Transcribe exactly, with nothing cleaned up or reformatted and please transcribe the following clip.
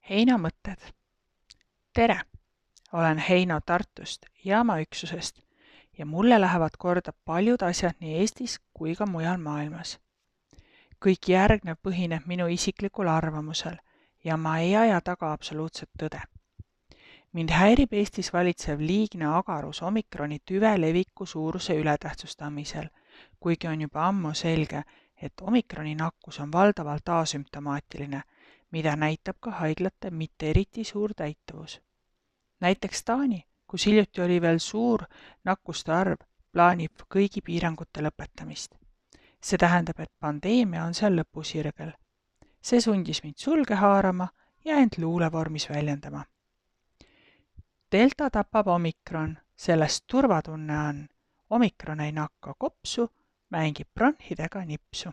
Heino mõtted. Tere! Olen Heino Tartust jaamaüksusest ja mulle lähevad korda paljud asjad nii Eestis kui ka mujal maailmas. Kõik järgnev põhineb minu isiklikul arvamusel ja ma ei aja taga absoluutset tõde. Mind häirib Eestis valitsev liigne agarus omikroni tüve leviku suuruse ületähtsustamisel, kuigi on juba ammu selge, et omikroni nakkus on valdavalt asümptomaatiline, mida näitab ka haiglate mitte eriti suur täituvus. Näiteks Taani, kus hiljuti oli veel suur nakkuste arv, plaanib kõigi piirangute lõpetamist. See tähendab, et pandeemia on seal lõpusirgel. See sundis mind sulge haarama ja end luulevormis väljendama. Delta tapab omikron, sellest turvatunne on. Omikron ei nakka kopsu, mängib bronhidega nipsu.